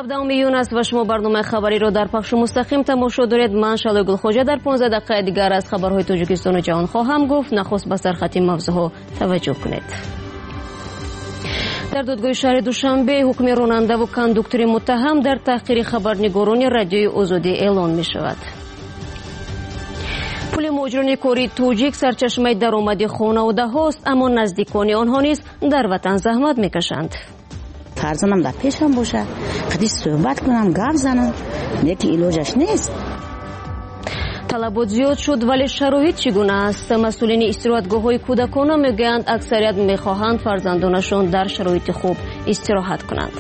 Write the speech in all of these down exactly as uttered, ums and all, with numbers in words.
Ҳабдаҳуми июн аст ва шумо барномаи хабариро дар пахши мустақим тамошо доред. Ман Шалои Гулхоҷа дар понздаҳ дақиқаи дигар аз хабарҳои Тоҷикистону ҷаҳон хоҳам гуфт. Нахуст ба сархати мавзӯъҳо таваҷҷӯҳ кунед. Дар додгоҳи шаҳри Душанбе ҳукми ронандаву кондуктори муттаҳам дар таҳқири хабарнигорони Радиои Озодӣ эълон мешавад. Пули муҳоҷирони кории тоҷик сарчашмаи даромади хонаводаҳост, аммо наздикони онҳо низ дар ватан заҳмат мекашанд. Фарзандам дар пешам бошад, қадиш суҳбат кунам, гап занам, лекин илоҷаш нест. Талабот зиёд шуд, вале шароит чӣ гуна аст? Масъулини истироҳатгоҳҳои кӯдакона мегӯянд, аксарият мехоҳанд фарзандонашон дар шароити хуб истироҳат кунанд.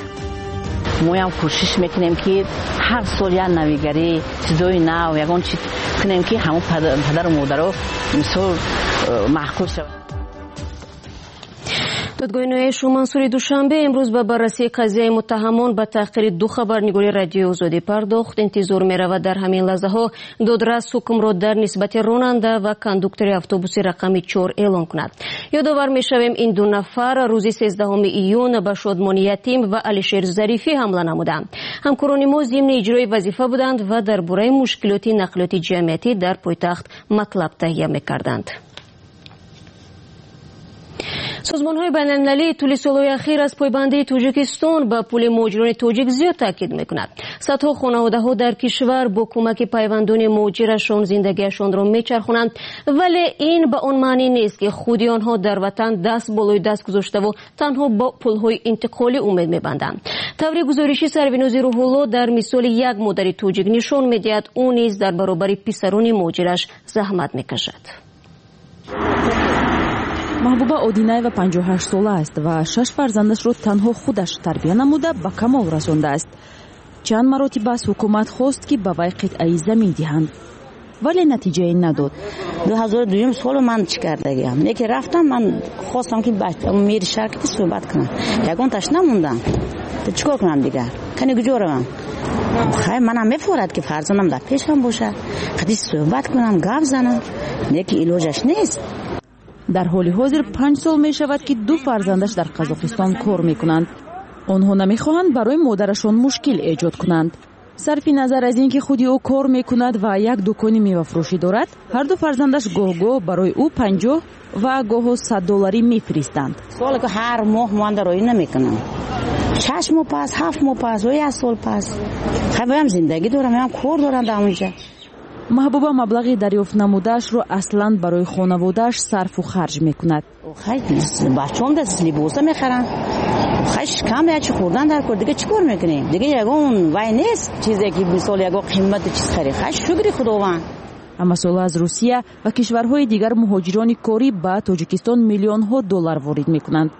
Моям кӯшиш мекунем, ки ҳар сол як навигарӣ, чизои нав, ягон чиз кунем, ки ҳамон падару модаро мисол э, маъқул шавад. Додгоҳи ноҳияи Шоҳмансури Душанбе имрӯз ба баррасии қазияи муттаҳамон ба таҳқири ду хабарнигори Радиои Озодӣ пардохт. Интизор меравад, дар ҳамин лаҳзаҳо додрас ҳукмро дар нисбати ронанда ва кондуктори автобуси рақами чор эълон кунад. Ёдовар мешавем, ин ду нафар рӯзи сездаҳуми июн ба Шодмони Ятим ва Алишер Зарифӣ ҳамла намуданд. Ҳамкорони мо зимни иҷрои вазифа буданд ва дар бораи мушкилоти нақлиёти ҷамъиятӣ дар пойтахт матлаб таҳия мекарданд. Созмонҳои байналмилалӣ тӯли солҳои ахир аз пойбандии Тоҷикистон ба пули муҳоҷирони тоҷик зиёд таъкид мекунад. Садҳо хонаводаҳо дар кишвар бо кӯмаки пайвандони муҳоҷирашон зиндагиашонро мечархонанд, вале ин ба он маънӣ нест, ки худи онҳо дар ватан даст болои даст гузоштаву танҳо бо пулҳои интиқолӣ умед мебанданд. Таври гузориши Сарвинози Рӯҳулло дар мисоли як модари тоҷик нишон медиҳад, ӯ низ дар баробари писарони муҳоҷираш заҳмат мекашад. Маҳбуба Одинаева панҷоҳу ҳашт сола аст ва шаш фарзандашро танҳо худаш тарбия намуда ба камол расондааст. Чанд маротиба аз ҳукумат хост, ки ба вай қитъаи замин диҳанд, вале натиҷае надод. Ду ҳазору дуюм солу ман чӣ кардагиам, неки рафтам, ман хостам, ки мери шаҳр ки суҳбат кунам, ягонташ намондам. Чӣ кор кунам дигар? Кани куҷо равам? Хай, манам мефорад, ки фарзандам дар пешам бошад, қадиш суҳбат кунам, гап занам, лекин илоҷаш нест. Дар ҳоли ҳозир панҷ сол мешавад, ки ду фарзандаш дар Қазоқистон кор мекунанд. Онҳо намехоҳанд барои модарашон мушкил эҷод кунанд. Сарфи назар аз ин ки худи ӯ кор мекунад ва як дукони мевафурӯшӣ дорад, ҳарду фарзандаш гоҳ-гоҳ барои ӯ панҷоҳ ва гоҳо сад долларӣ мефиристанд. Соле ки ҳар моҳ ман дароӣ намекунам, шаш моҳ пас, ҳафт моҳ пас ё як сол пас. Хай, боям зиндагӣ дорам, ям кор дорам дар онҷа. Маҳбуба маблағи дарёфт намудаашро аслан барои хонаводааш сарфу харҷ мекунад. Хай, бачаам да либоса мехарам, хай, шикам ячи хӯрдан дар кор. Дига чӣ кор мекунем? Дига ягон вай нест, чизе ки мисол ягон қимати чиз харем. Хай, шукри Худованд. Ҳамасола аз Русия ва кишварҳои дигар муҳоҷирони корӣ ба Тоҷикистон миллионҳо доллар ворид мекунанд.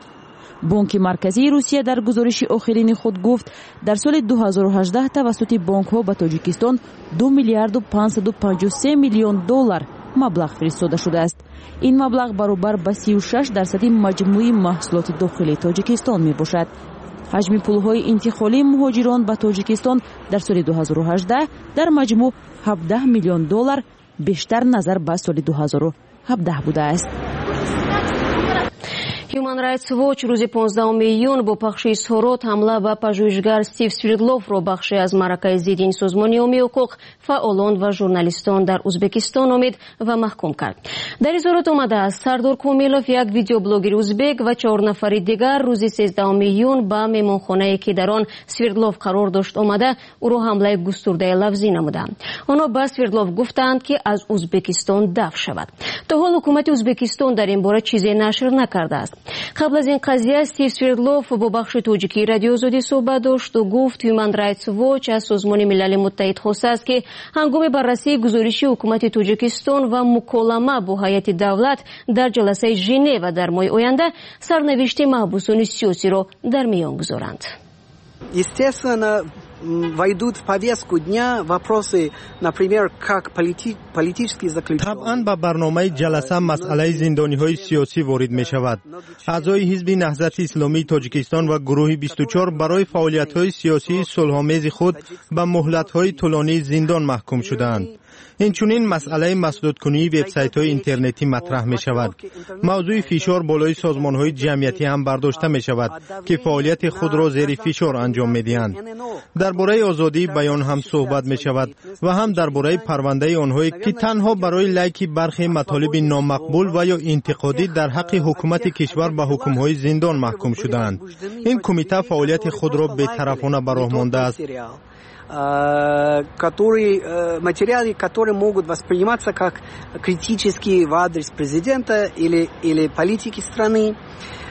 Бонки Марказии Русия дар гузориши охирини худ гуфт, дар соли ду ҳазору ҳаждаҳ тавассути бонкҳо ба Тоҷикистон ду миллиарду панҷсаду панҷоҳу се миллион доллар маблағ фиристода шудааст. Ин маблағ баробар ба сию шаш дарсади маҷмӯи маҳсулоти дохилии Тоҷикистон мебошад. Ҳаҷми пулҳои интиқолии муҳоҷирон ба Тоҷикистон дар соли ду ҳазору ҳаждаҳ дар маҷмӯъ ҳабдаҳ миллион доллар бештар назар ба соли ду ҳазору ҳабдаҳ будааст. Human Rights Watch рӯзи понздаҳуми июн бо пахши изҳорот ҳамла ба пажӯҳишгар Стив Свердловро бахше аз маъракаи зидди ин созмони ҳомии ҳуқуқ, фаъолон ва журналистон дар Узбекистон номид ва маҳкум кард. Дар изҳорот омадааст, Сардор Комилов, як видеоблогери узбек, ва чор нафари дигар рӯзи сездаҳуми июн ба меҳмонхонае, ки дар он Свердлов қарор дошт, омада, ӯро ҳамлаи густурдаи лафзӣ намуданд. Онҳо ба Свердлов гуфтанд, ки аз Узбекистон дафъ шавад. То ҳол ҳукумати Узбекистон дар ин бора чизе нашр накардааст. Қабл аз ин қазия Стив Свердлов бо бахши тоҷикии Радиои Озодӣ суҳбат дошту гуфт, Human Rights Watch аз Созмони Милали Муттаҳид хостааст, ки ҳангоми баррасии гузориши ҳукумати Тоҷикистон ва муколама бо ҳайати давлат дар ҷаласаи Женева дар моҳи оянда сарнавишти маҳбусони сиёсиро дар миён гузоранд. Естественно, войдут в повестку дня вопросы, например, как полити политические заключенные. Табъан, ба барномаи ҷаласа масъалаи зиндониҳои сиёсӣ ворид мешавад. Аъзои Ҳизби Наҳзати Исломии Тоҷикистон ва гурӯҳи бисту чор барои фаъолиятҳои сиёсии сулҳомези худ ба муҳлатҳои тӯлонии зиндон маҳкум шудаанд. Инчунин масъалаи масдудкунии вебсайтҳои интернетӣ матраҳ мешавад. Мавзӯи фишор болои созмонҳои ҷамъиятӣ ҳам бардошта мешавад, ки фаъолияти худро зери фишор анҷом медиҳанд. Дар бораи озодии баён ҳам суҳбат мешавад ва ҳам дар бораи парвандаи онҳое, ки танҳо барои лайки бархе матолиби номақбул ва ё интиқодӣ дар ҳаққи ҳукумати кишвар ба ҳукмҳои зиндон маҳкум шудаанд. Ин кумита фаъолияти худро бетарафона ба роҳ мондааст. Которые, материалы, которые могут восприниматься как критические в адрес президента или, или политики страны.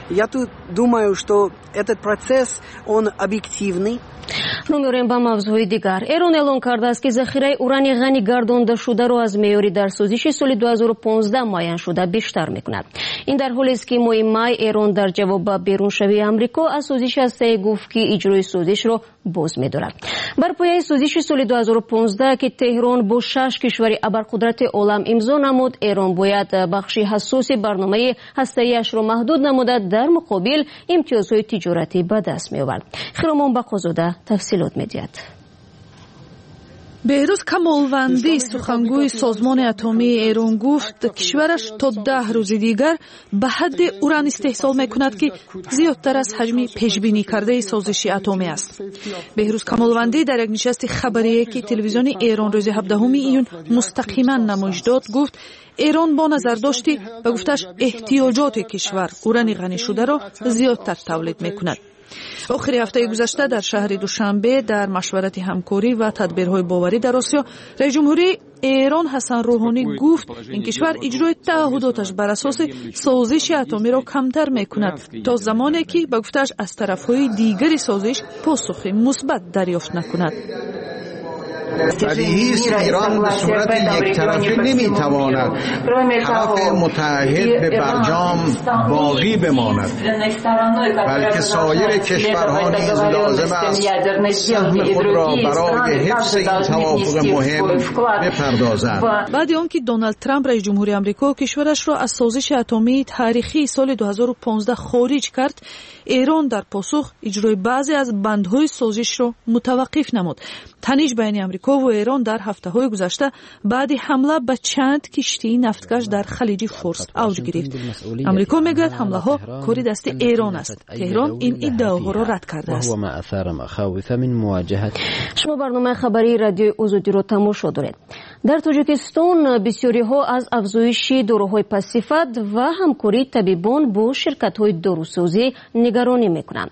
Я тут думаю, что этот процесс, он объективный. Рӯ меорем ба мавзӯи дигар. Эрон эълон кардааст, ки захираи урани ғанӣ гардондашударо аз меъёри дар созиши соли ду ҳазору понздаҳ муайяншуда бештар мекунад. Ин дар ҳолест, ки моҳи май Эрон дар ҷавоб ба беруншавии Амрико аз созиши ҳастаӣ гуфт, ки иҷрои созишро боз медорад. Бар пояи созиши соли ду ҳазору понздаҳ, ки Теҳрон бо шаш кишвари абарқудрати олам имзо намуд, Эрон бояд бахши ҳассоси барномаи ҳастаиашро маҳдуд намуда, дар муқобил имтиёзҳои тиҷоратӣ ба даст меовард. Хиромон Бақозода тафсилот медиҳад. Беҳрӯз Камолвандӣ, сухангӯи Созмони атомии Эрон, гуфт, кишвараш то даҳ рӯзи дигар ба ҳадде уран истеҳсол мекунад, ки зиёдтар аз ҳаҷми пешбинӣ кардаи созиши атомӣ аст. Беҳрӯз Камолвандӣ дар як нишасти хабарие, ки телевизиони Эрон рӯзи ҳабдаҳуми июн мустақиман намоиш дод, гуфт, Эрон бо назардошти, ба гуфташ, эҳтиёҷоти кишвар урани ғанишударо зиёдтар тавлид мекунад. Охири ҳафтаи гузашта дар шаҳри Душанбе, дар машварати ҳамкорӣ ва тадбирҳои боварӣ дар Осиё, раисҷумҳурии Эрон Ҳасан Рӯҳонӣ гуфт, ин кишвар иҷрои таъҳудоташ бар асоси созиши атомиро камтар мекунад, то замоне ки, ба гуфтааш, аз тарафҳои дигари созиш посухи мусбат дарёфт накунад. بدیهی است ایران به صورت یک طرفه نمیتواند طرف متعهد به برجام باقی بماند، بلکه سایر کشورها نیز لازم است سهم خود را برای حفظ این توافق مهم بپردازند. Баъди он ки Доналд Трамп, раиси ҷумҳури Амрико, кишварашро аз созиши атомии таърихии соли ду ҳазору понздаҳ хориҷ кард, Эрон дар посух иҷрои баъзе аз бандҳои созишро мутаваққиф намуд. Таниш байни Амрикову Эрон дар ҳафтаҳои гузашта баъди ҳамла ба чанд киштии нафткаш дар Халиҷи Форс авҷ гирифт. Амрико мегӯяд, ҳамлаҳо кори дасти Эрон аст. Теҳрон ин иддаоҳоро рад кардааст. Шумо барномаи хабарии Радиои Озодиро тамошо доред. Дар Тоҷикистон бисёриҳо аз афзоиши доруҳои пастсифат ва ҳамкории табибон бо ширкатҳои дорусозӣ нигаронӣ мекунанд.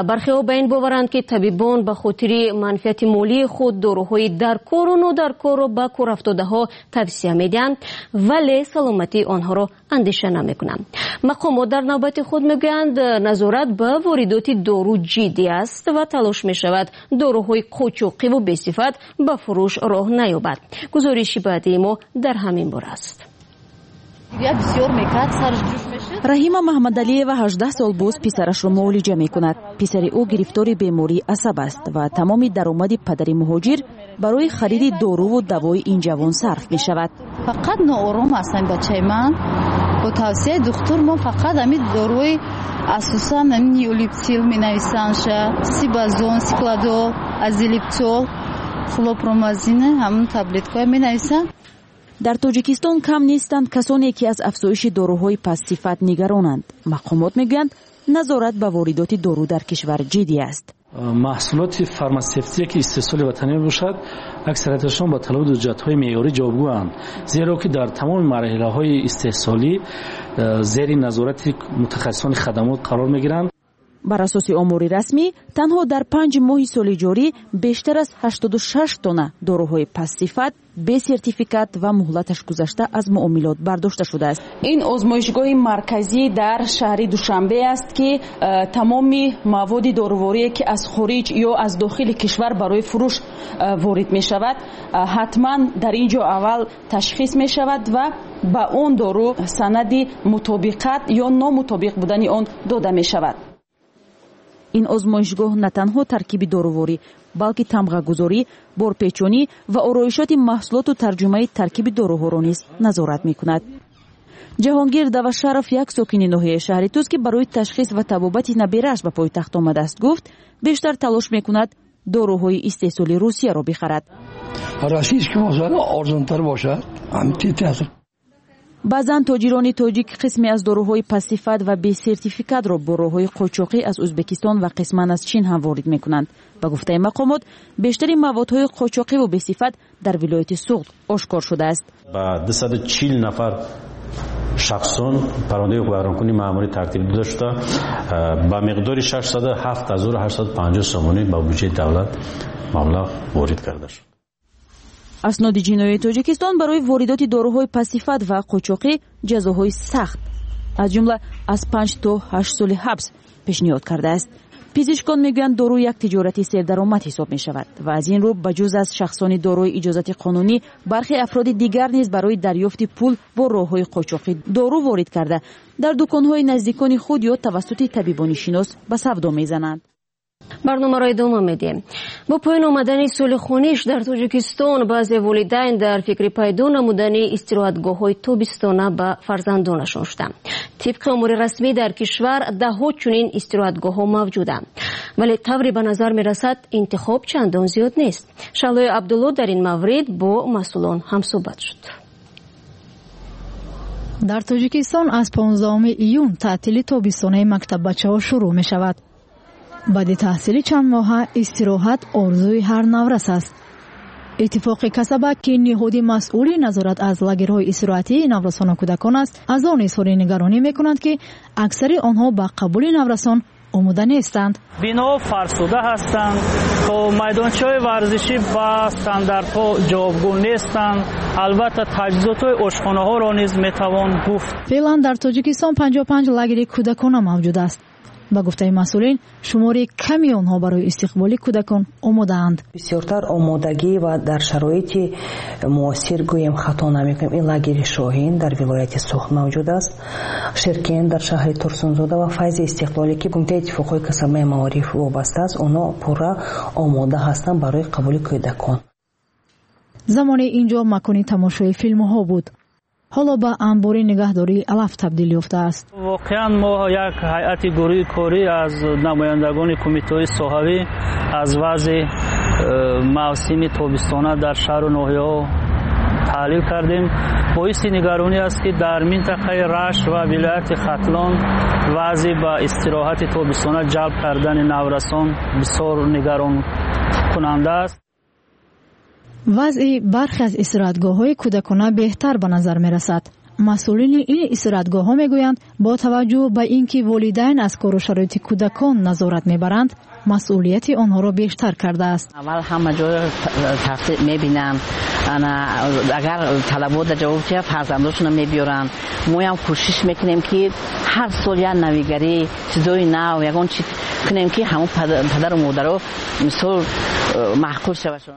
Бархеҳо ба ин боваранд, ки табибон ба хотири манфиати молии худ доруҳои даркору нодаркорро ба корафтодаҳо тавсия медиҳанд, вале саломатии онҳоро андеша намекунанд. Мақомот дар навбати худ мегӯянд, назорат ба воридоти дору ҷиддӣ аст ва талош мешавад, доруҳои қочоқиву бесифат ба фурӯш роҳ наёбад. Гузориши баъдии мо дар ҳамин бора аст. Раҳима Маҳмадалиева ҳаждаҳ сол боз писарашро муолиҷа мекунад. Писари ӯ гирифтори бемории асаб аст ва тамоми даромади падари муҳоҷир барои хариди доруву давои ин ҷавон сарф мешавад. Фақат ноором ҳастам бачаи ман. Бо тавсияи духтур мо фақат ҳамин доруи, асосан ҳамин неулептил менависандша, сибазон, сикладол, азилептол, хлорпромазин, ҳамун таблеткаҳо менависанд. Дар Тоҷикистон кам нестанд касоне, ки аз афзоиши доруҳои пастсифат нигаронанд. Мақомот мегӯянд, назорат ба воридоти дору дар кишвар ҷиддӣ аст. Маҳсулоти фарматсевтие, ки истеҳсоли ватанӣ мебошад, аксарияташон ба талаботи ҳуҷҷатҳои меъёрӣ ҷавобгӯянд, зеро ки дар тамоми марҳилаҳои истеҳсолӣ э, зери назорати мутахассисони хадамот қарор мегиранд. Бар асоси омори расмӣ, танҳо дар панҷ моҳи соли ҷорӣ бештар аз ҳаштоду шаш тонна доруҳои пастсифат, бесертификат ва муҳлаташ гузашта аз муомилот бардошта шудааст. Ин озмоишгоҳи марказӣ дар шаҳри Душанбе аст, ки э, тамоми маводи доруворие, ки аз хориҷ ё аз дохили кишвар барои фурӯш э, ворид мешавад, э, ҳатман дар ин ҷо аввал ташхис мешавад ва ба он дору санади мутобиқат ё номутобиқ будани он дода мешавад. Ин озмоишгоҳ на танҳо таркиби доруворӣ, балки тамғагузорӣ, борпечонӣ ва ороишоти маҳсулоту тарҷумаи таркиби доруҳоро низ назорат мекунад. Ҷаҳонгир Давашаров, як сокини ноҳияи шаҳри Тӯз, ки барои ташхис ва табобати наберааш ба пойтахт омадааст, гуфт, бештар талош мекунад доруҳои истеҳсоли Русияро бихарад. Баъзан тоҷирони тоҷик қисме аз доруҳои пастсифат ва бесертификатро бо роҳҳои қочоқӣ аз Ӯзбекистон ва қисман аз Чин ҳам ворид мекунанд. Ба гуфтаи мақомот, бештари маводҳои қочоқиву бесифат дар вилояти Суғд ошкор шудааст. Ба дусаду чил нафар шахсон парвандаи ҳуқуқвайронкунии маъмурӣ тартиб дода шуда, ба миқдори шашсаду ҳафт ҳазору ҳаштсаду панҷоҳ сомонӣ ба буҷети давлат маблағ ворид карда шуд. Асноди ҷиноии Тоҷикистон барои воридоти доруҳои пастсифат ва қочоқӣ ҷазоҳои сахт, аз ҷумла аз панҷ то ҳашт соли ҳабс пешниҳод кардааст. Пизишкон мегӯянд, дору як тиҷорати сердаромад ҳисоб мешавад ва аз ин рӯ ба ҷуз аз шахсони дорои иҷозати қонунӣ бархе афроди дигар низ барои дарёфти пул бо роҳҳои қочоқӣ дору ворид карда дар дуконҳои наздикони худ ё тавассути табибони шинос ба савдо мезананд. Барномаро идома медиҳем. Бо поён омадани соли хониш дар Тоҷикистон баъзе волидайн дар фикри пайдо намудани истироҳатгоҳҳои тобистона ба фарзандонашон шуданд. Тибқи омори расмӣ дар кишвар даҳҳо чунин истироҳатгоҳҳо мавҷуданд, вале тавре ба назар мерасад интихоб чандон зиёд нест. Шаҳлои Абдулло дар ин маврид бо масъулон ҳамсӯҳбат шуд. Дар Тоҷикистон аз понздаҳуми июн таътили тобистонаи мактаббачаҳо шурӯъ мешавад. Баъди таҳсили чанд моҳа истироҳат орзуи ҳар наврас аст. Иттифоқи касаба, ки ниҳоди масъули назорат аз лагерҳои истироҳатии наврасону кӯдакон аст, аз он изҳори нигаронӣ мекунанд, ки аксари онҳо ба қабули наврасон омода нестанд. Биноҳо фарсуда ҳастанд, то майдончаҳои варзишӣ ба стандартҳо ҷавобгӯ нестанд. Албатта таҷҳизотҳои ошхонаҳоро низ метавон гуфт. Феълан дар Тоҷикистон панҷоҳу панҷ лагери кӯдакона мавҷуд аст. Ба гуфтаи масъулин, шумори ками онҳо барои истиқболи кӯдакон омодаанд. Бисёртар омодагӣ ва дар шароити муосир гӯем хато намекунем. Ин лагери Шоҳин дар вилояти Суғд мавҷуд аст, Ширкен дар шаҳри Турсунзода ва Файзи Истиқлолӣ, ки Кумитаи иттифоқҳои касабаи маориф вобаста аст, онҳо пурра омода ҳастанд барои қабули кӯдакон. Замоне инҷо макони тамошои филмҳо буд. Ҳоло ба анбори нигаҳдории алаф табдил ёфтааст. Воқеан мо як ҳайати гурӯҳи корӣ аз намояндагони кумитаҳои соҳавӣ аз вазъи мавсими тобистона дар шаҳру ноҳияҳо таҳлил кардем. Боиси нигаронӣ аст, ки дар минтақаи Рашт ва вилояти Хатлон вазъи ба истироҳати тобистона ҷалб кардани наврасон бисёр нигаронкунанда аст. Вазъи бархе аз истироҳатгоҳҳои кӯдакона беҳтар ба назар мерасад. Масъулини ин истироҳатгоҳҳо мегӯянд, бо таваҷҷӯҳ ба ин ки волидайн аз кору шароити кӯдакон назорат мебаранд, масъулияти онҳоро бештар кардааст. Аввал ҳама ҷойро тафтиш мебинанд, агар талабота ҷавоб диҳад фарзандошонро мебиёранд. Моям кӯшиш мекунем, ки ҳар сол як навигарӣ, чизои нав, ягон чиз кунем, ки ҳамон падару модаро мисол маъқул шавашон.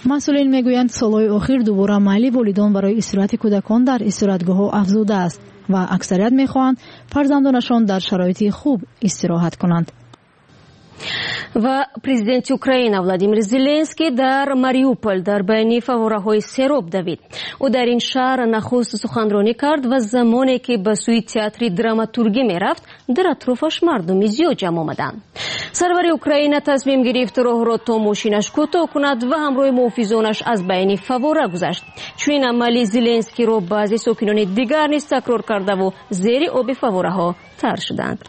Масъулин мегӯянд, солҳои охир дубора майли волидон барои истироҳати кӯдакон дар истироҳатгоҳҳо афзудааст ва аксарият мехоҳанд фарзандонашон дар шароити хуб истироҳат кунанд. Ва президенти Украина Владимир Зеленский дар Мариуполь дар байни фаввораҳои сероб давид. Ӯ дар ин шаҳр нахуст суханронӣ кард ва замоне ки ба сӯи театри драматургӣ мерафт, дар атрофаш мардуми зиёд ҷамъ омаданд. Сарвари Украина тасмим гирифт роҳро то мошинаш кӯтоҳ кунад ва ҳамроҳи муҳофизонаш аз байни фаввора гузашт. Чунин амали Зеленскийро баъзе сокинони дигар низ такрор кардаву зери оби фаввораҳо тар шуданд.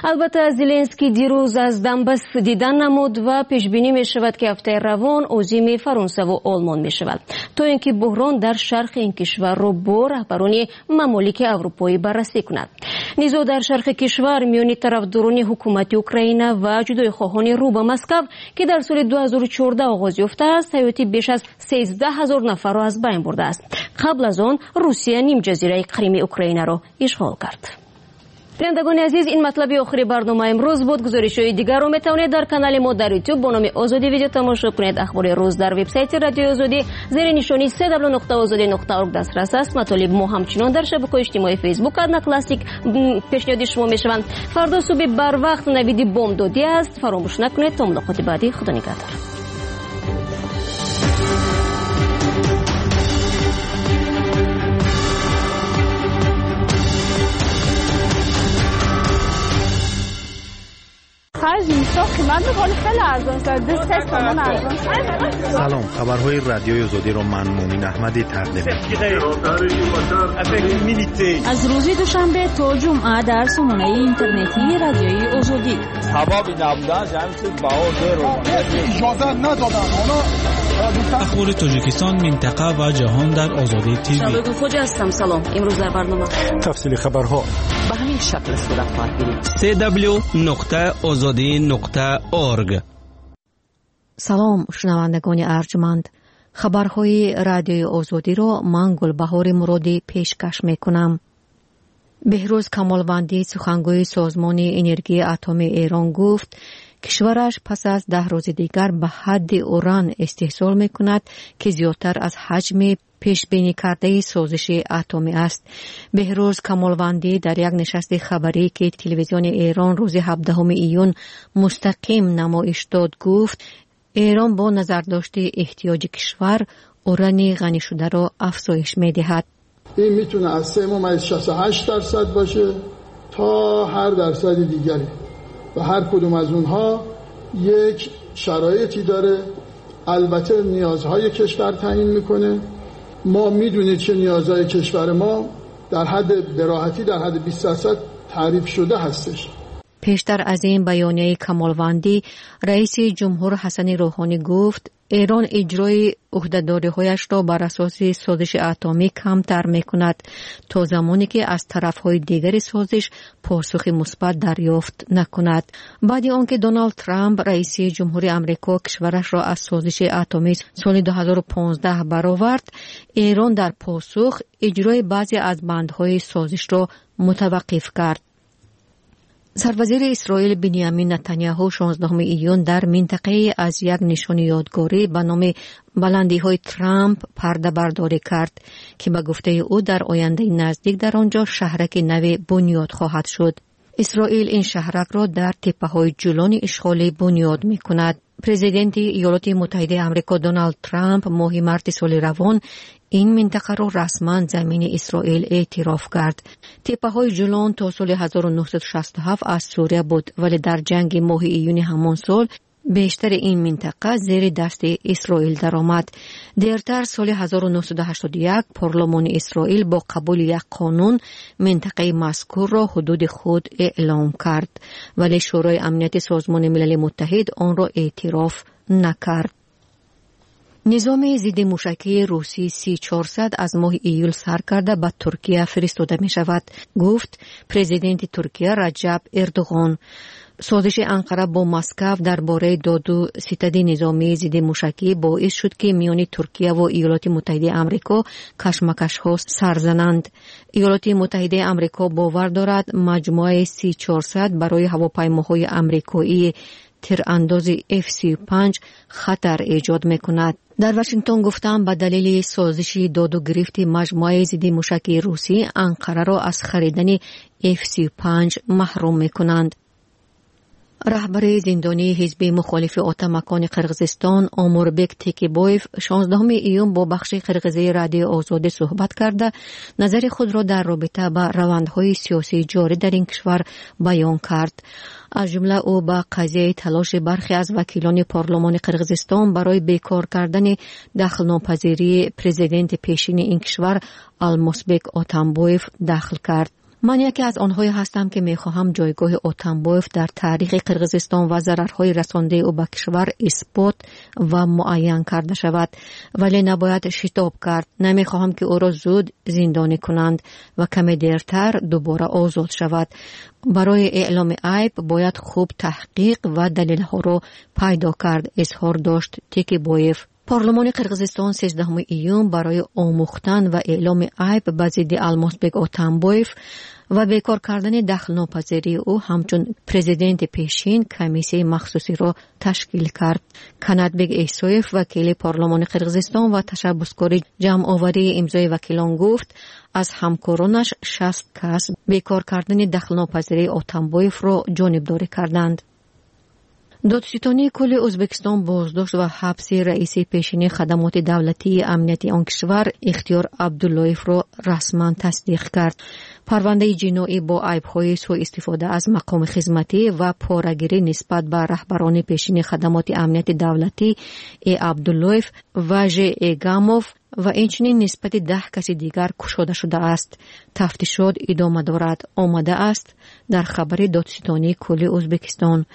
Албатта Зеленский дирӯз аз Донбасс дидан намуд ва пешбинӣ мешавад, ки ҳафтаи равон озими Фаронсаву Олмон мешавад, то ин ки буҳрон дар шарқи ин кишварро бо раҳбарони мамолики аврупоӣ баррасӣ кунад. Низоъ дар шарқи кишвар миёни тарафдорони ҳукумати Украина ва ҷудоихоҳони рӯ ба Москав, ки дар соли ду ҳазору чордаҳ оғоз ёфтааст, ҳаёти беш аз сездаҳ ҳазор нафарро аз байн бурдааст. Қабл аз он Русия нимҷазираи Қрими Украинаро ишғол кард. Бинандагони азиз, ин матлаби охири барнома имрӯз буд. Гузоришҳои дигарро метавонед дар канали мо дар ютуб бо номи Озодӣ видео тамошо кунед. Ахбори рӯз дар вебсайти Радиои Озодӣ зери нишони се дабл нуқта озодӣ нуқта орг дастрас аст. Матолиби мо ҳамчунон дар шабакаҳои иҷтимоии Фейсбук, Одноклассник пешниҳоди шумо мешаванд. Фардо субҳи барвақт навиди бомдодӣ аст. Фаромӯш накунед. То мулоқоти баъдӣ, Худо нигаҳдор. Салом, хабарҳои радиои Озодиро ман Мумин Аҳмадӣ тақдим мекунам. Аз рӯзи душанбе то ҷумъа дар сомонаи интернетии радиои Озодӣ. Сабаби набудан ҷамъи баҳо зеро. Иҷоза надоданд. Оно Ахбори Тоҷикистон, минтақа ва ҷаҳон дар Озодӣ ТВ. Шабегул Хоҷа ҳастам. Салом. Имрӯз дар барнома тафсили хабарҳо ба ҳамин шакл сурат хоҳад гирифт. си дабл-ю нуқта озодӣ нуқта орг. Салом, шунавандагони арҷманд. Хабарҳои радиои Озодиро ман Гулбаҳори Муродӣ пешкаш мекунам. Беҳрӯз Камолвандӣ, сухангӯи Созмони энергияи атомии Эрон, гуфт кишвараш пас аз даҳ рӯзи дигар ба ҳадди уран истеҳсол мекунад, ки зиёдтар аз ҳаҷми пешбинӣ кардаи созиши атомӣ аст. Беҳрӯз Камолвандӣ дар як нишасти хабарӣ, ки телевизиони Эрон рӯзи ҳабдаҳуми июн мустақим намоиш дод, гуфт Эрон бо назардошти эҳтиёҷи кишвар урани ғанишударо афзоиш медиҳад. Ин метавонад аз се мумайиз шасту ҳашт дарсад باشه تا هر درصد دیگری و هر کدوم از اونها یک شرایطی داره. البته نیازهای کشور تعیین میکنه. ما میدونید چه نیازهای کشور ما در حد براحتی در حد بیست درصد تعریف شده هستش. پیشتر از این بیانیه کمالوندی، رئیس جمهور حسن روحانی گفت эрон иҷрои ӯҳдадориҳояшро бар асоси созиши атомӣ камтар мекунад то замоне ки аз тарафҳои дигари созиш посухи мусбат дарёфт накунад. Баъди он ки Доналд Трамп, раиси ҷумҳури Амрико, кишварашро аз созиши атомӣ соли ду ҳазору понздаҳ баровард, Эрон дар посух иҷрои баъзе аз бандҳои созишро мутаваққиф кард. Сарвазири Исроил Биньямин Нетаняҳу шонздаҳуми июн дар минтақае аз як нишони ёдгорӣ ба номи баландиҳои Трамп пардабардорӣ кард, ки ба гуфтаи ӯ дар ояндаи наздик дар он ҷо шаҳраки наве бунёд хоҳад шуд. Исроил ин шаҳракро дар теппаҳои ҷулони ишғолӣ бунёд мекунад. Президенти Иёлоти Муттаҳидаи Амрико Доналд Трамп моҳи марти соли равон ин минтақаро расман замини Исроил эътироф кард. Теппаҳои ҷулон то соли ҳазору нӯҳсаду шасту ҳафт аз Сурия буд, вале дар ҷанги моҳи июни ҳамон сол бештари ин минтақа зери дасти Исроил даромад. Дертар соли ҳазору нӯҳсаду ҳаштоду як парлумони Исроил бо қабули як қонун минтақаи мазкурро ҳудуди худ эълом кард, вале Шӯрои амнияти Созмони Милали Муттаҳид онро эътироф накард. Низоми зидди мушакии русӣ Си чорсад аз моҳи июл сар карда ба Туркия фиристода мешавад, гуфт президенти Туркия Раҷаб Эрдоғон. Созиши Анқара бо Москав дар бораи доду ситади низомии зидди мушакӣ боис шуд, ки миёни Туркия ва Иёлоти Муттаҳидаи Амрико кашмакашҳо сар зананд. Иёлоти Муттаҳидаи Амрико бовар дорад маҷмӯаи Си чорсад барои ҳавопаймоҳои амрикоии тирандози Ф сию панҷ хатар эҷод мекунад. Дар Вашингтон гуфтанд, ба далели созиши доду гирифти маҷмӯаи зидди мушакии русӣ Анқараро аз харидани Ф сию панҷ маҳрум мекунанд. Раҳбари зиндонии ҳизби мухолифи Отамакони Қирғизистон Омурбек Текибоев шонздаҳуми июн бо бахши қирғизии радиои Озодӣ суҳбат карда, назари худро дар робита ба равандҳои сиёсии ҷорӣ дар ин кишвар баён кард. Аз ҷумла ӯ ба қазияи талоши бархе аз вакилони парлумони Қирғизистон барои бекор кардани дахлнопазирии президенти пешини ин кишвар Алмосбек Отамбоев дахл кард. Ман яке аз онҳое ҳастам, ки мехоҳам ҷойгоҳи Отамбоев дар таърихи Қирғизистон ва зарарҳои расондаи ӯ ба кишвар исбот ва муайян карда шавад, вале набояд шитоб кард. Намехоҳам, ки ӯро зуд зиндонӣ кунанд ва каме дертар дубора озод шавад. Барои эъломи айб бояд хуб таҳқиқ ва далелҳоро пайдо кард, изҳор дошт Текибоев. Парлумони Қирғизистон сездаҳуми июн барои омӯхтан ва эъломи айб ба зидди Алмосбек Отамбоев ва бекор кардани дахлнопазирии ӯ ҳамчун президенти пешин комиссияи махсусиро ташкил кард. Канатбек Эҳсоев, вакили парлумони Қирғизистон ва ташаббускори ҷамъоварии имзои вакилон, гуфт аз ҳамкоронаш шаст кас бекор кардани дахлнопазирии Отамбоевро ҷонибдорӣ карданд. Додситонии кулли Ӯзбекистон боздошт ва ҳабси раиси пешини хадамоти давлатии амнияти он кишвар Ихтиёр Абдуллоевро расман тасдиқ кард. Парвандаи ҷиноӣ бо айбҳои суистифода аз мақоми хизматӣ ва порагирӣ нисбат ба раҳбарони пешини хадамоти амнияти давлатӣ Э. Абдуллоев ва Ж. Эгамов ва инчунин нисбати даҳ каси дигар кушода шудааст. Тафтишот идома дорад, омадааст дар хабари Додситонии кулли Ӯзбекистон.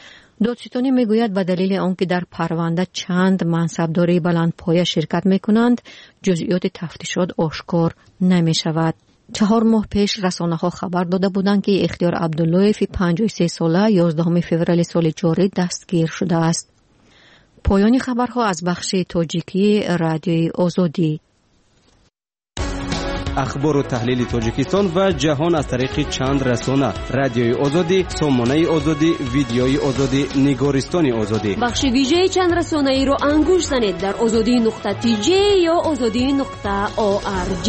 Додситонӣ мегӯяд, ба далели он ки дар парванда чанд мансабдории баландпоя ширкат мекунанд, ҷузъиёти тафтишот ошкор намешавад. Чаҳор моҳ пеш расонаҳо хабар дода буданд, ки Ихтиёр Абдуллоеви панҷоҳу се сола ёздаҳуми феврали соли ҷорӣ дастгир шудааст. Поёни хабарҳо аз бахши тоҷикии Радиои Озодӣ. Ахбору таҳлили Тоҷикистон ва ҷаҳон аз тариқи чанд расона: Радиои Озодӣ, Сомонаи Озодӣ, Видеои Озодӣ, Нигористони Озодӣ. Бахши вижаи чанд расонаиро ангуш занед дар озодӣ нуқта тж ё озодӣ нуқта орг.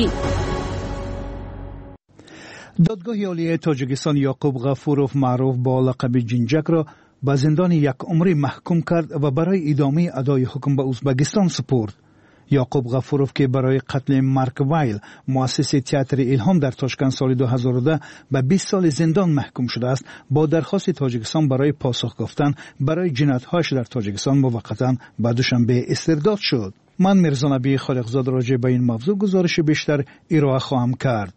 Додгоҳи олии Тоҷикистон Ёқуб Ғафуров маъруф бо лақаби Ҷинҷакро ба зиндони якумрӣ маҳкум кард ва барои идомаи адои ҳукм ба Ӯзбекистон супурд. Ёқуб Ғафуров, ки барои қатли Марк Вайл, муассиси театри Илҳом дар Тошканд соли ду ҳазору даҳ ба бист соли зиндон маҳкум шудааст, бо дархости Тоҷикистон барои посух гуфтан барои ҷиноятҳояш дар Тоҷикистон муваққатан ба Душанбе истирдод шуд. Ман Мирзонаби Холиқзод роҷеъ ба ин мавзӯъ гузориши бештар ироа хоҳам кард.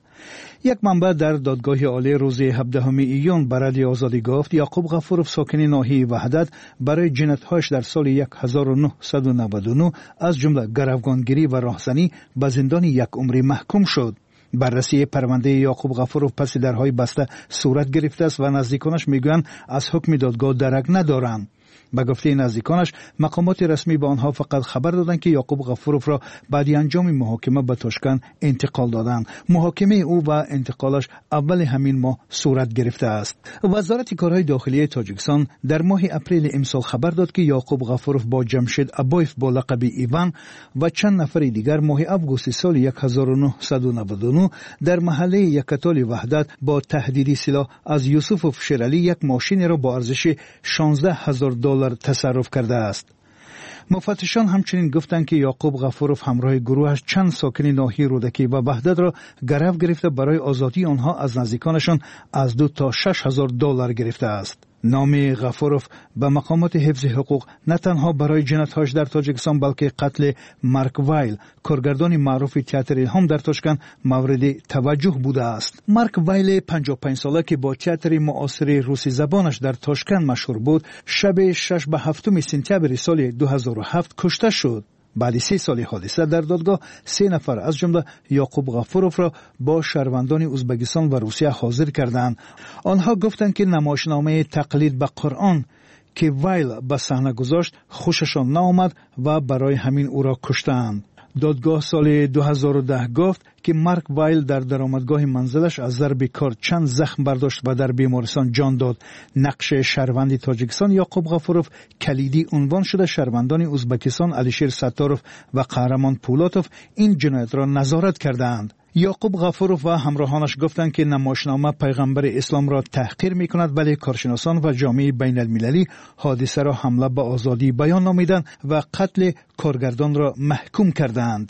Як манбаъ дар додгоҳи олӣ рӯзи ҳабдаҳуми июн ба Радиои Озодӣ гуфт, Ёқуб Ғафуров сокини ноҳияи Ваҳдат барои ҷиноятҳояш дар соли ҳазору нӯҳсаду наваду нӯҳ аз ҷумла гаравгонгирӣ ва роҳзанӣ ба зиндони якумрӣ маҳкум шуд. Баррасии парвандаи Ёқуб Ғафуров паси дарҳои баста сурат гирифтааст ва наздиконаш мегӯянд аз ҳукми додгоҳ дарак надоранд. Ба гуфтаи наздиконаш, мақомоти расмӣ ба онҳо фақат хабар доданд, ки Ёқуб Ғафуровро баъди анҷоми муҳокима ба Тошканд интиқол доданд. Муҳокимаи ӯ ва интиқолаш аввали ҳамин моҳ сурат гирифтааст. Вазорати корҳои дохилии Тоҷикистон дар моҳи апрели имсол хабар дод, ки Ёқуб Ғафуров бо Ҷамшед Абоев бо лақаби Иван ва чанд нафари дигар моҳи августи соли ҳазору нӯҳсаду наваду нӯҳ дар маҳаллаи Якатоли Ваҳдат бо таҳдиди силоҳ аз Юсуфов Шералӣ як мошинеро бо арзиши шонздаҳ ҳазор доллар тасарруф кардааст. Муфаттишон ҳамчунин гуфтанд, ки Ёқуб Ғафуров ҳамроҳи гурӯҳаш чанд сокини ноҳияи Рӯдакӣ ва Ваҳдатро гарав гирифта барои озодии онҳо аз наздиконашон аз ду то шаш ҳазор доллар гирифтааст. Номи Ғафуров ба мақомоти ҳифзи ҳуқуқ на танҳо барои ҷиноятҳояш дар Тоҷикистон, балки қатли Марк Вайл, коргардони маъруфи театри Илҳом дар Тошканд, мавриди таваҷҷӯҳ будааст. Марк Вайли панҷоҳу панҷсола, ки бо театри муосири русизабонаш дар Тошканд машҳур буд, шаби шаш ба ҳафтуми сентябри соли ду ҳазору ҳафт кушта шуд. Баъди се соли ҳодиса дар додгоҳ се нафар аз ҷумла Ёқуб Ғафуровро бо шаҳрвандони Ӯзбекистон ва Русия ҳозир карданд. Онҳо гуфтанд, ки намоишномаи тақлид ба Қуръон, ки Вайл ба саҳна гузошт, хушашон наомад ва барои ҳамин ӯро куштанд. Додгоҳ соли ду ҳазору даҳ гуфт, ки Марк Вайл дар даромадгоҳи манзилаш аз зарби кор чанд захм бардошт ва дар бемористон ҷон дод. Нақши шаҳрванди Тоҷикистон Ёқуб Ғафуров калидӣ унвон шуда, шаҳрвандони Ӯзбекистон Алишер Сатторов ва Қаҳрамон Пулотов ин ҷиноятро назорат кардаанд. Ёқуб Ғафуров ва ҳамроҳонаш гуфтанд, ки намоишнома пайғамбари исломро таҳқир мекунад, вале коршиносон ва ҷомеаи байналмилалӣ ҳодисаро ҳамла ба озодии баён номиданд ва қатли коргардонро маҳкум кардаанд.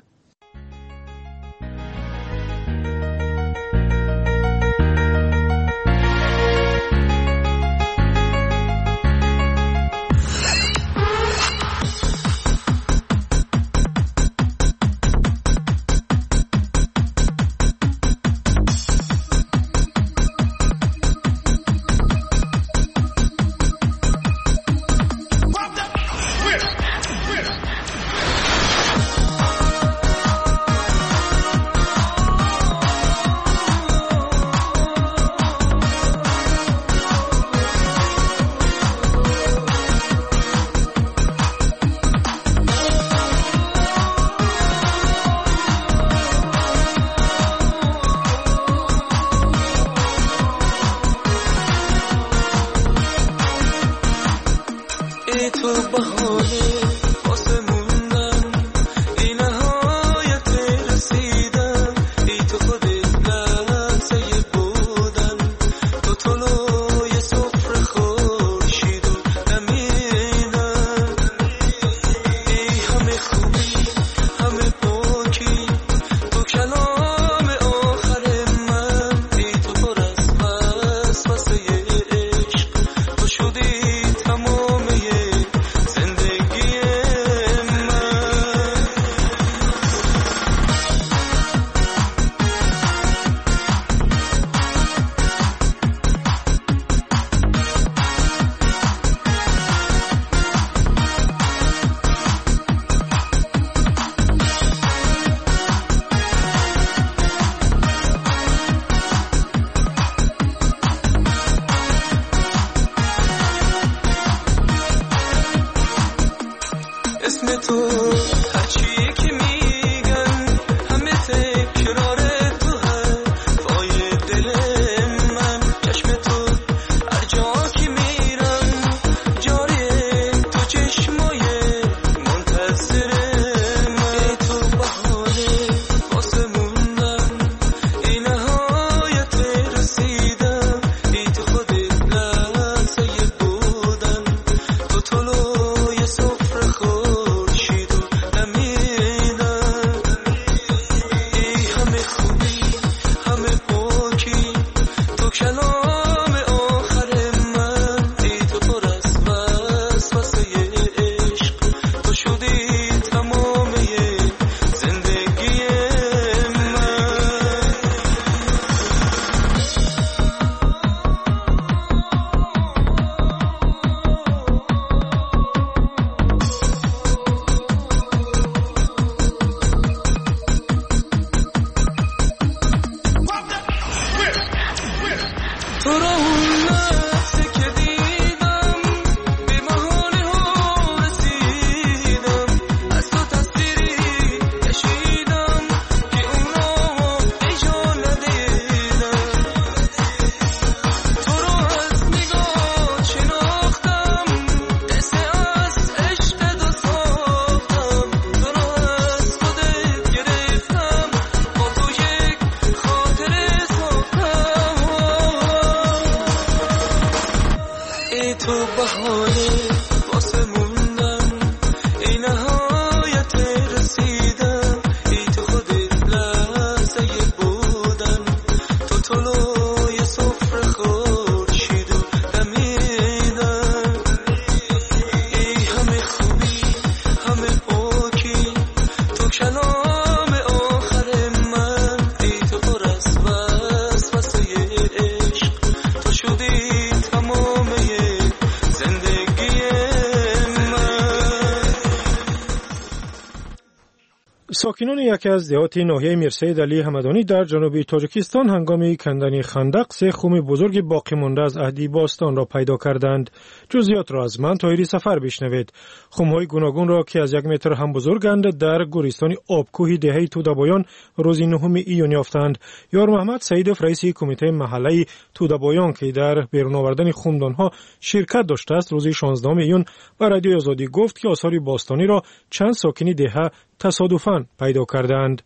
Сокинони яке аз деҳоти ноҳияи Мирсаид Алӣ Ҳамадонӣ дар ҷануби Тоҷикистон ҳангоми кандани хандақ се хуми бузурги боқӣ монда аз аҳди бостонро пайдо карданд. Ҷузъиётро аз ман Тоҳири Сафар бишнавед. Хумҳои гуногунро, ки аз як метр ҳам бузурганд, дар гӯристони обкӯҳи деҳаи Тӯдабоён рӯзи нуҳуми июн ёфтанд. Ёрмаҳмад Саидов, раиси кумитаи маҳаллаи Тӯдабоён, ки дар берун овардани хумдонҳо ширкат доштааст, рӯзи шонздаҳуми июн ба Радиои Озодӣ гуфт, ки осори бостониро чанд сокини деҳа тасодуфан пайдо кардаанд.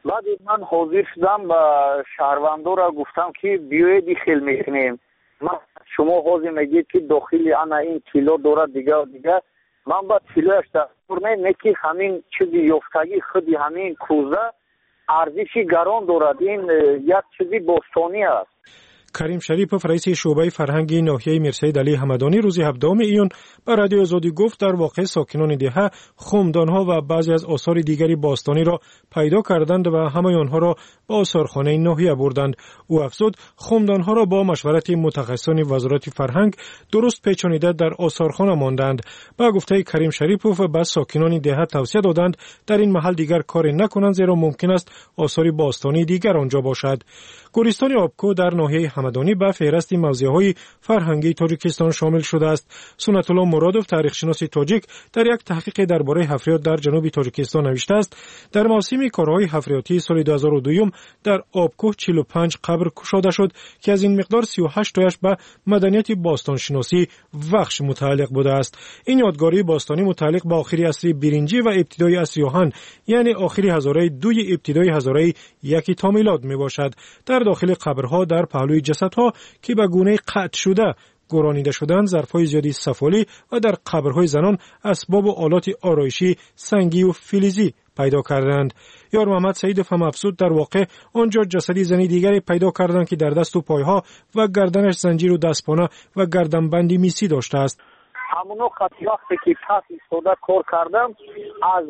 Баъди ман ҳозир шудам, ба шаҳрвандора гуфтам, ки биёед хел мекунем. Ман шумо ҳозир мегӯед, ки дохили ана ин тилло дорад, дигар дигар. Ман ба тиллояш дастур не, не ки ҳамин чизи ёфтагӣ худи ҳамин кӯза арзиши гарон дорад. Ин як чизи бостонӣ аст. Карим Шарипов, раиси шӯъбаи фарҳанги ноҳияи Мирсаид Алӣ Ҳамадонӣ, рӯзи ҳабдаҳуми июн ба Радиои Озодӣ гуфт, дар воқеъ сокинони деҳа хумдонҳо ва баъзе аз осори дигари бостониро пайдо карданд ва ҳамаи онҳоро ба осорхонаи ноҳия бурданд. Ӯ афзуд, хумдонҳоро бо машварати мутахассисони Вазорати фарҳанг дуруст печонида дар осорхона монданд. Ба гуфтаи Карим Шарипов, ба сокинони деҳа тавсия доданд дар ин маҳал дигар коре накунанд, зеро мумкин аст осори бостонии дигар онҷо бошад. Гӯристони обкӯҳ дар ноҳияи Ҳамадонӣ ба феҳрасти мавзеъҳои фарҳангии Тоҷикистон шомил шудааст. Суннатулло Муродов, таърихшиноси тоҷик, дар як таҳқиқе дар бораи ҳафриёт дар ҷануби Тоҷикистон навиштааст, дар мавсими корҳои ҳафриётии соли ду ҳазору дуюм дар обкӯҳ чилу панҷ қабр кушода шуд, ки аз ин миқдор сию ҳашт тояш ба маданияти бостоншиносӣ Вахш мутааллиқ будааст. Ин ёдгории бостонӣ мутааллиқ ба охири асри биринҷӣ ва ибтидои асри оҳан, яъне охири ҳазораи дуи ибтидои ҳазораи яки то милод мебошад. Дар дохили қабрҳо дар паҳлӯи ҷасадҳо, ки ба гунаи қатъ шуда гӯронида шуданд, зарфҳои зиёди сафолӣ ва дар қабрҳои занон асбобу олоти ороишӣ сангию филизӣ пайдо карданд. Ёрмаҳмад Саидов ҳам афзуд, дар воқеъ он ҷо ҷасади зани дигаре пайдо карданд, ки дар дасту пойҳо ва гарданаш занҷиру дастпона ва гарданбанди мисӣ доштааст. Ҳамоно вақте ки пас истода кор кардам, аз